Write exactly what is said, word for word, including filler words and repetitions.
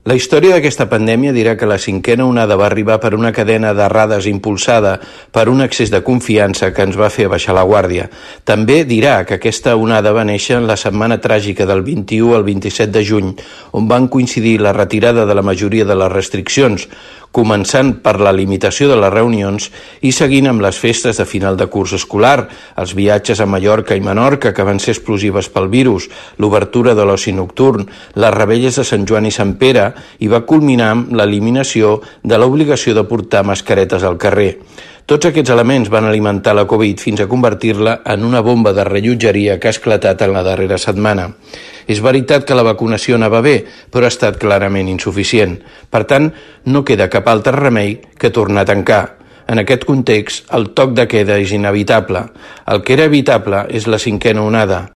La història d'aquesta pandèmia dirà que la cinquena onada va arribar per una cadena d'errades impulsada per un excés de confiança que ens va fer baixar la guàrdia. També dirà que aquesta onada va néixer en la setmana tràgica del vint-i-u al vint-i-set de juny, on van coincidir la retirada de la majoria de les restriccions, començant per la limitació de les reunions i seguint amb les festes de final de curs escolar, els viatges a Mallorca i Menorca, que van ser explosives pel virus, l'obertura de l'oci nocturn, les revetlles de Sant Joan i Sant Pere, i va culminar amb l'eliminació de l'obligació de portar mascaretes al carrer. Tots aquests elements van alimentar la Covid fins a convertir-la en una bomba de rellotgeria que ha esclatat en la darrera setmana. És veritat que la vacunació anava bé, però ha estat clarament insuficient. Per tant, no queda cap altre remei que tornar a tancar. En aquest context, el toc de queda és inevitable. El que era evitable és la cinquena onada.